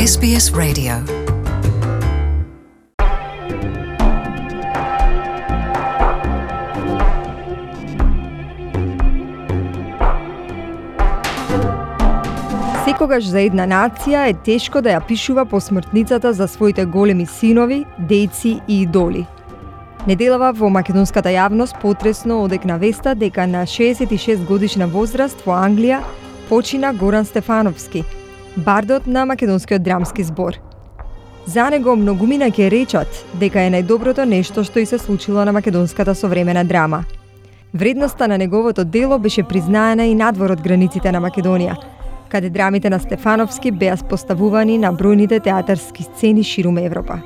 SBS Radio. Секогаш за една нација е тешко да ја пишува посмртницата за своите големи синови, дејци и идоли. Неделава во македонската јавност потресно одекна веста дека на 66 годишна возраст во Англија почина Горан Стефановски, бардот на македонскиот драмски збор. За него многумина ќе речат дека е најдоброто нешто што и се случило на македонската современа драма. Вредноста на неговото дело беше признаена и надвор од границите на Македонија, каде драмите на Стефановски беа поставувани на бројните театарски сцени ширум Европа.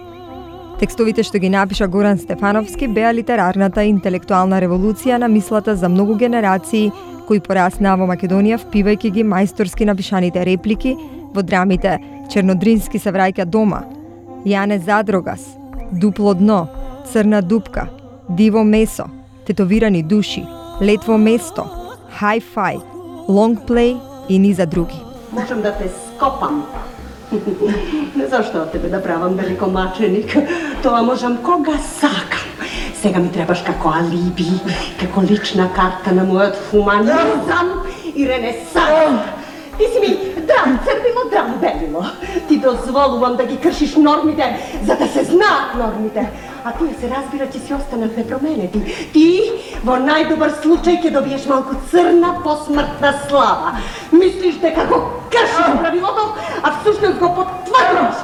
Текстовите што ги напиша Горан Стефановски беа литерарната и интелектуална револуција на мислата за многу генерации кои пораснаа во Македонија впивајќи ги мајсторски напишаните реплики во драмите Чернодрински се враќа дома, Јане Задрогас, Дупло дно, Црна дупка, Диво месо, Тетовирани души, Летво место, Hi-Fi, Long Play и низа други. Можам да те скопам. Не зашто од тебе да правам великомаченик. Тоа можам кога сакам. Сега ми требаш како алиби, како лична карта на мојот хуманизам и ренесанс. Ти си ми драм црвило, драм белило. Ти дозволувам да ги кршиш нормите, за да се знаат нормите. А тие се разбира ќе си останат непроменети. Ти во најдобар случај ќе добиеш малку црна посмртна слава. Мислиш дека го кршиш правилото, а всушност го потврдуваш.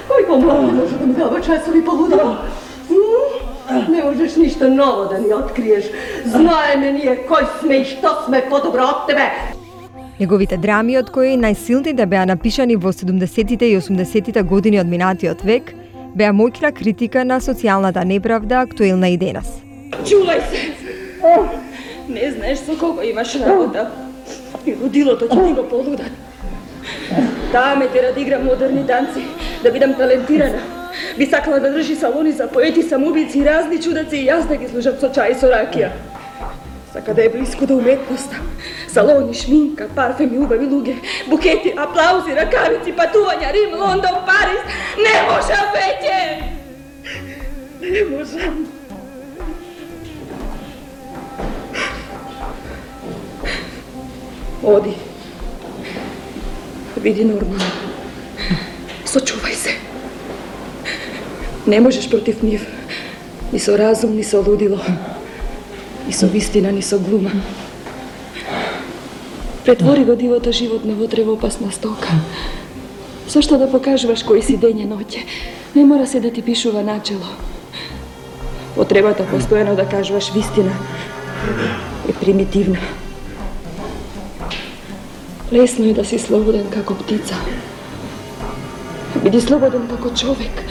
Кој помладо може да ми дава часови полудо? Не можеш ништо ново да ни откриеш. Знаеме ние кој сме и што сме подобро од тебе. Неговите драми, од кои најсилните беа напишани во 70-тите и 80-тите години од минатиот век, беа моќна критика на социјалната неправда актуелна и денес. Чувај се! Не знаеш со кого имаш работа. И родилото ќе ти го полудат. Таа ме тера да играм модерни танци, да бидам талентирана. Би сакала да држи салони за поети, самоубици и разни чудаци и јас да ги служам со чај и со ракија. Сака да е близко до уметноста. Салони, шминка, парфеми, убави луѓе, букети, аплаузи, ракавици, патувања, Рим, Лондон, Париз. Не можам веќе! Не можам. Оди. Види нормално. Сочувај се. Не можеш против нив. Ни со разум, ни со лудило. Ни со вистина, ни со глума. Претвори го дивото животно во тревоопасна стока. Зашто да покажуваш кој си дење ноќе? Не мора се да ти пишува начело. Потребата постојано да кажуваш вистина е примитивна. Лесно е да си слободен како птица. Биди слободен како човек.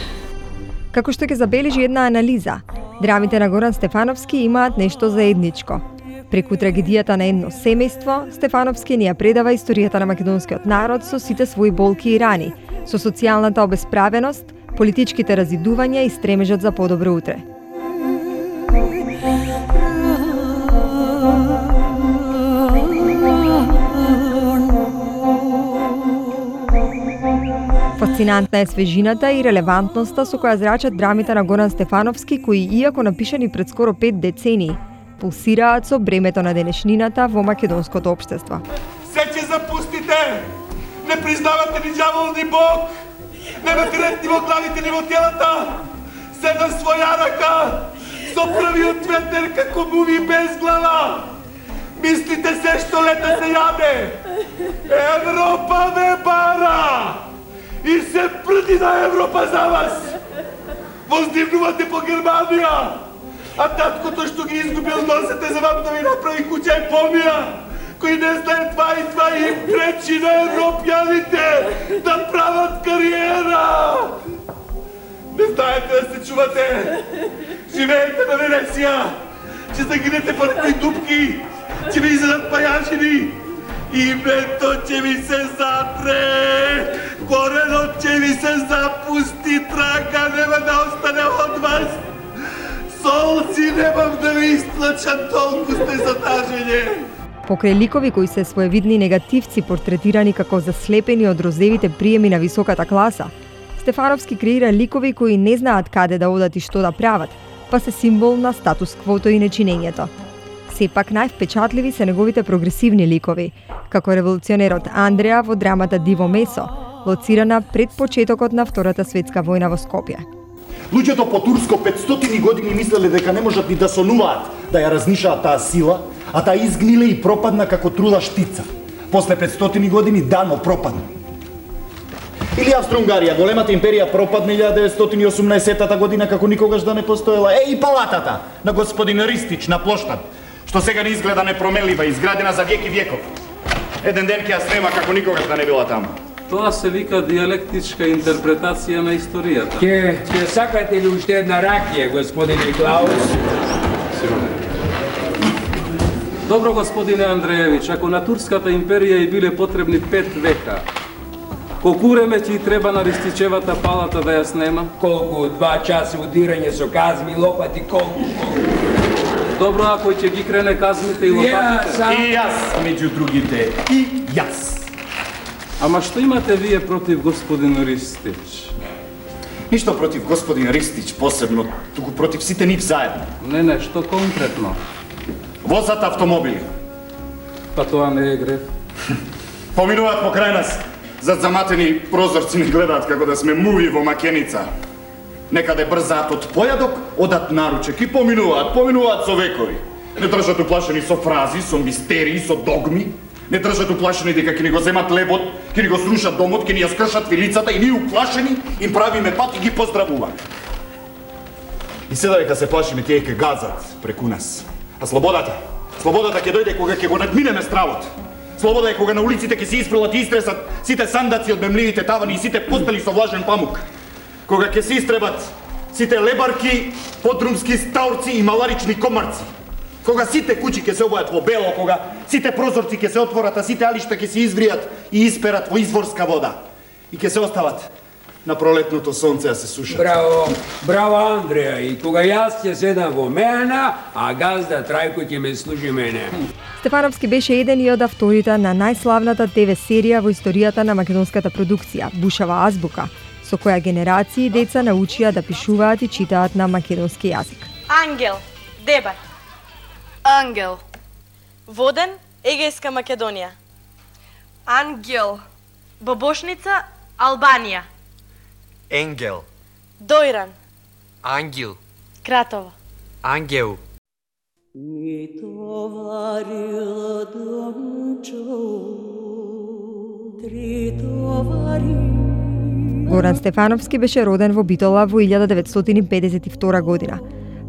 Како што ќе забележи една анализа, драмите на Горан Стефановски имаат нешто заедничко. Преку трагедијата на едно семејство, Стефановски ни ја предава историјата на македонскиот народ со сите своји болки и рани, со социјалната обесправеност, политичките разидувања и стремежот за подобро утре. Фасцинантна е свежината и релевантноста со која зрачат драмите на Горан Стефановски, кои, иако напишани пред скоро 5 децении, пулсираат со бремето на денешнината во македонското општество. Се ќе запустите! Не признавате ни ѓавол ни Бог! Немате ред ни во главите ни во телата! Се на своја рака! Со првиот ветер како муви без глава! Мислите се што лета се јаде! Европа ве бара! И се прди на Европа за вас! Воздивнувате по Германија! А таткото што ги изгубил носете за вам да ви направи куќа и помија! Кои не знае това и това им пречи на европјаните да прават кариера! Не знаете да се чувате! Живеете на Венеција! Ќе загинете по некои дупки! Ќе ви изедат пајачини! Името ќе ви се затре! Коренот ќе ви се запусти, трака нема да остане од вас! Солци немам да ви истлачам, толку сте затажење! Покрај ликови кои се своевидни негативци портретирани како заслепени од розевите приеми на високата класа, Стефановски креира ликови кои не знаат каде да одат и што да прават, па се символ на статус-квото и нечинењето. Сепак највпечатливи се неговите прогресивни ликови, како револуционерот Андреа во драмата Диво месо, лоцирана пред почетокот на Втората светска војна во Скопје. Луѓето по Турско 500 години мислеле дека не можат ни да сонуваат да ја разнишаат таа сила, а таа изгниле и пропадна како трула штица. После 500 години дано пропадна. Или Австро-Унгарија, големата империја пропадна 1918 година како никогаш да не постоела. И палатата на господин Ристич на плоштад, што сега не изгледа непроменлива, изградена за век и веков. Еден ден ќе ја снема како никогаш да не била таму. Тоа се вика диалектичка интерпретација на историјата. Ќе сакате ли уште една ракија, господине Клаус? Добро, господине Андреевич, ако на Турската империја и биле потребни 5 века, колку време ќе треба на Ристичевата палата да ја снема? Колку? 2 часа удирање со казми, лопати, колку? Добро, ако ќе ги крене казмите и лопатите? И јас, меѓу другите, и јас. Ама што имате вие против господин Ристич? Ништо против господин Ристич посебно, туку против сите нив заедно. Не, што конкретно? Возат автомобили. Па тоа не е греф. Поминуваат покрај нас, зад заматени прозорци не гледаат како да сме муви во макеница. Некаде брзаат од појадок, одат наручек и поминуваат со векови. Не држат уплашени со фрази, со мистерии, со догми. Не држат уплашени дека ќе ни го земат лебот, ќе ни го срушат домот, ќе ни ја скршат вилицата и ние уплашени им правиме пат и ги поздравуваме. И сега дека се плашиме, тие ќе газат преку нас. А слободата ќе дојде кога ќе го надминеме стравот. Слобода е кога на улиците ќе се испрелат и истресат сите сандаци од мемливите тавани и сите постели со влажен памук. Кога ќе се истребат сите лебарки, подрумски стаурци и маларични комарци. Кога сите куќи ќе се обојат во бело, кога сите прозорци ќе се отворат, а сите алишта ќе се извријат и исперат во изворска вода. И ќе се остават на пролетното сонце да се сушат. Браво Андреа, и кога јас ќе седам во мене, а газда Трајко ќе ме служи мене. Стефановски беше еден и од авторите на најславната ТВ серија во историјата на македонската продукција, Бушава азбука, со која генерации деца научија да пишуваат и читаат на македонски јазик. Ангел, дебар. Ангел. Воден, Егејска Македонија. Ангел. Бобошница, Албанија. Енгел. Дојран. Ангел. Кратово. Ангел. Mi tovarilo domčo, tri tovari. Горан Стефановски беше роден во Битола во 1952 година.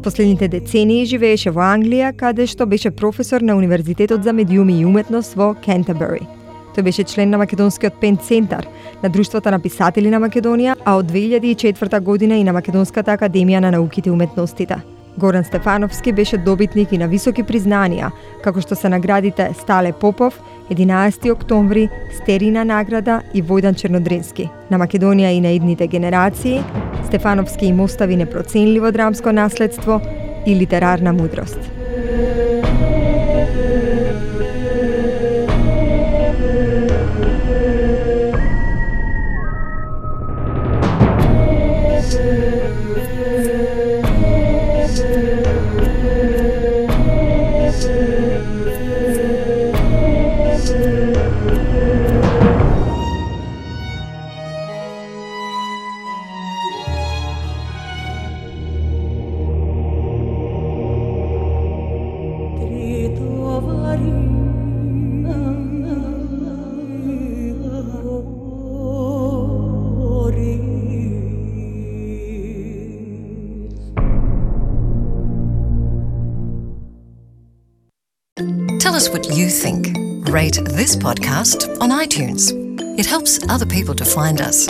Последните децении живееше во Англија, каде што беше професор на Универзитетот за медиуми и уметност во Кентербери. Тој беше член на Македонскиот Пен Центар, на Друштвото на писатели на Македонија, а од 2004 година и на Македонската академија на науките и уметностите. Горан Стефановски беше добитник и на високи признанија, како што се наградите Стале Попов, 11 октомври, Стерина награда и Војдан Чернодрински. На Македонија и на идните генерации, Стефановски им остави непроценливо драмско наследство и литерарна мудрост. Tell us what you think. Rate this podcast on iTunes. It helps other people to find us.